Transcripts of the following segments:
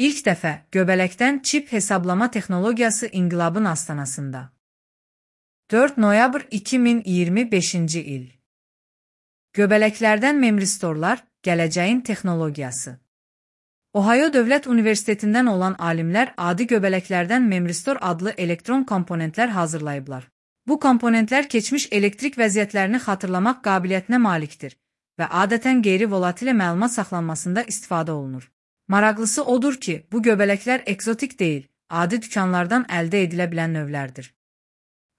İlk dəfə göbələkdən çip hesablama texnologiyası inqilabın astanasında. 4 noyabr 2025-ci il. Göbələklərdən memristorlar, gələcəyin texnologiyası. Ohio Dövlət Universitetindən olan alimlər adi göbələklərdən memristor adlı elektron komponentlər hazırlayıblar. Bu komponentlər keçmiş elektrik vəziyyətlərini xatırlamaq qabiliyyətinə malikdir və adətən qeyri-volatile məlumat saxlanmasında istifadə olunur. Maraqlısı odur ki, bu göbələklər ekzotik deyil, adi dükanlardan əldə edilə bilən növlərdir.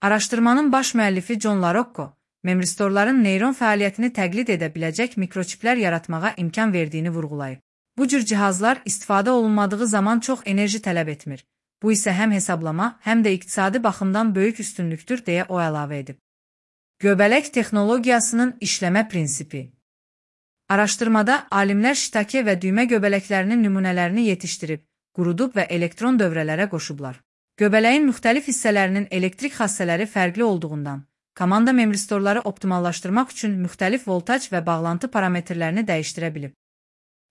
Araşdırmanın baş müəllifi John LaRocco, memristorların neyron fəaliyyətini təqlid edə biləcək mikroçiplər yaratmağa imkan verdiyini vurğulayıb. Bu cür cihazlar istifadə olunmadığı zaman çox enerji tələb etmir. Bu isə həm hesablama, həm də iqtisadi baxımdan böyük üstünlükdür, deyə o əlavə edib. Göbələk texnologiyasının işləmə prinsipi. Araşdırmada alimlər şitake və düymə göbələklərinin nümunələrini yetişdirib, qurudub və elektron dövrələrə qoşublar. Göbələyin müxtəlif hissələrinin elektrik xassələri fərqli olduğundan, komanda memristorları optimallaşdırmaq üçün müxtəlif voltaj və bağlantı parametrlərini dəyişdirə bilib.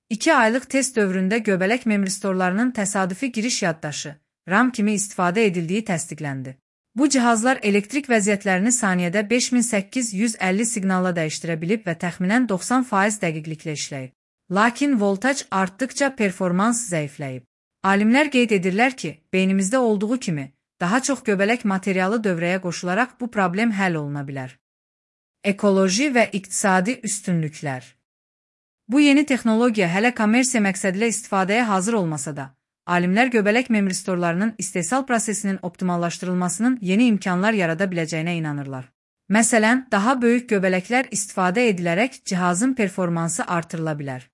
2 aylıq test dövründə göbələk memristorlarının təsadüfi giriş yaddaşı, RAM kimi istifadə edildiyi təsdiqləndi. Bu cihazlar elektrik vəziyyətlərini saniyədə 5850 siqnalla dəyişdirə bilib və təxminən 90% dəqiqliklə işləyib. Lakin voltaj artdıqca performans zəifləyib. Alimlər qeyd edirlər ki, beynimizdə olduğu kimi, daha çox göbələk materialı dövrəyə qoşularaq bu problem həll oluna bilər. Ekoloji və iqtisadi üstünlüklər. Bu yeni texnologiya hələ kommersiya məqsədilə istifadəyə hazır olmasa da, alimlər göbələk memristorlarının istehsal prosesinin optimallaşdırılmasının yeni imkanlar yarada biləcəyinə inanırlar. Məsələn, daha böyük göbələklər istifadə edilərək cihazın performansı artırıla bilər.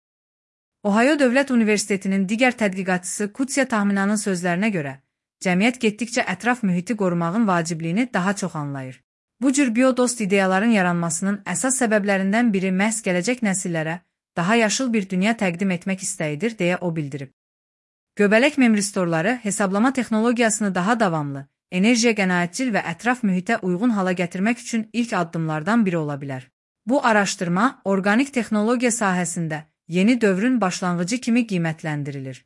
Ohio Dövlət Universitetinin digər tədqiqatçısı Kutsia Tahminanın sözlərinə görə, cəmiyyət getdikcə ətraf mühiti qorumağın vacibliyini daha çox anlayır. Bu cür biodost ideyaların yaranmasının əsas səbəblərindən biri məhz gələcək nəsillərə daha yaşıl bir dünya təqdim etmək istəyidir, deyə o bildirib. Göbələk memristorları hesablama texnologiyasını daha davamlı, enerjiyə qənaətcil və ətraf mühitə uyğun hala gətirmək üçün ilk addımlardan biri ola bilər. Bu araşdırma, orqanik texnologiya sahəsində yeni dövrün başlanğıcı kimi qiymətləndirilir.